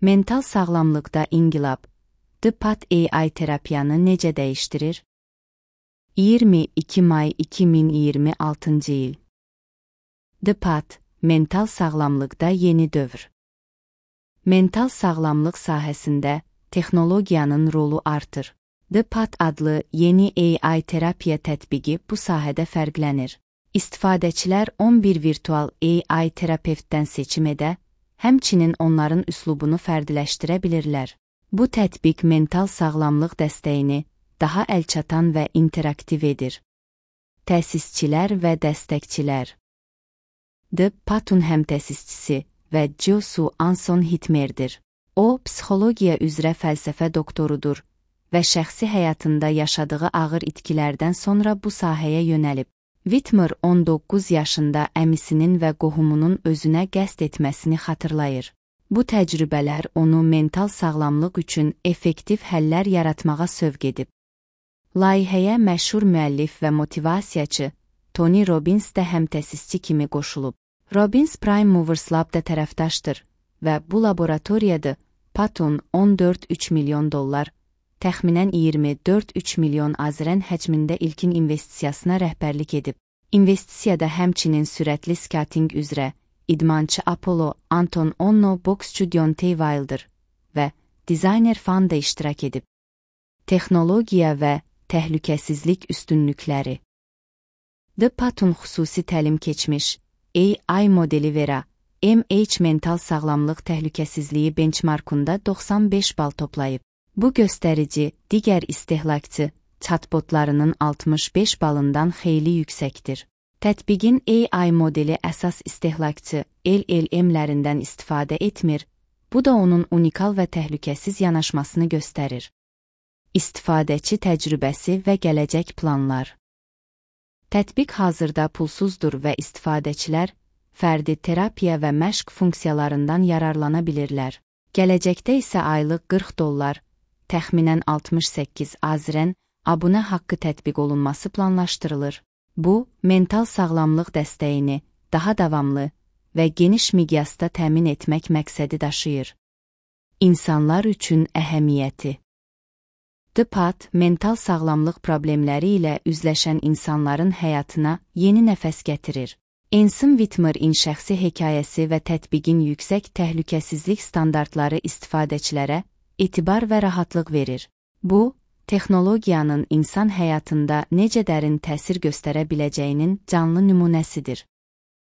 Mental sağlamlıqda inqilab. The Path AI terapiyanı necə dəyişdirir? 22 may 2026 il. The Path, mental sağlamlıqda yeni dövr. Mental sağlamlıq sahəsində texnologiyanın rolu artır. The Path adlı yeni AI terapiya tətbiqi bu sahədə fərqlənir. İstifadəçilər 11 virtual AI terapevtdən seçim edə, həmçinin onların üslubunu fərdiləşdirə bilirlər. Bu tətbiq mental sağlamlıq dəstəyini daha əlçatan və interaktiv edir. Təsisçilər və dəstəkçilər. The Path'un həmtəsisçisi və Josu Anson Hitmerdir. O, psixologiya üzrə fəlsəfə doktorudur və şəxsi həyatında yaşadığı ağır itkilərdən sonra bu sahəyə yönəlib. Whitmer 19 yaşında əmisinin və qohumunun özünə qəsd etməsini xatırlayır. Bu təcrübələr onu mental sağlamlıq üçün effektiv həllər yaratmağa sövq edib. Layihəyə məşhur müəllif və motivasiyaçı Tony Robbins də həmtəsisçi kimi qoşulub. Robbins Prime Movers Lab'da tərəfdaşdır və bu laboratoriyada Path'un 14,3 milyon dollar, təxminən 24,3 milyon AZRN həcmində ilkin investisiyasına rəhbərlik edib. İnvestisiyada həmçinin sürətli skating üzrə idmançı Apollo Anton Onno, boksçu Deontay Wilder və dizayner Fan da iştirak edib. Texnologiya və təhlükəsizlik üstünlükləri. The Path'un xüsusi təlim keçmiş AI modeli Vera, MH mental sağlamlıq təhlükəsizliyi benchmarkunda 95 bal toplayıb. Bu göstərici digər istehlakçı chatbotlarının 65 balından xeyli yüksəkdir. Tətbiqin AI modeli əsas istehlakçı LLM-lərindən istifadə etmir, bu da onun unikal və təhlükəsiz yanaşmasını göstərir. İstifadəçi təcrübəsi və gələcək planlar. Tətbiq hazırda pulsuzdur və istifadəçilər fərdi terapiya və məşq funksiyalarından yararlana bilirlər. Gələcəkdə isə aylıq $40, təxminən 68 AZRN abunə haqqı tətbiq olunması planlaşdırılır. Bu, mental sağlamlıq dəstəyini daha davamlı və geniş miqyasda təmin etmək məqsədi daşıyır. İnsanlar üçün əhəmiyyəti. The Path, mental sağlamlıq problemləri ilə üzləşən insanların həyatına yeni nəfəs gətirir. Anson Whitmer'in şəxsi hekayəsi və tətbiqin yüksək təhlükəsizlik standartları istifadəçilərə etibar və rahatlıq verir. Bu, texnologiyanın insan həyatında necə dərin təsir göstərə biləcəyinin canlı nümunəsidir.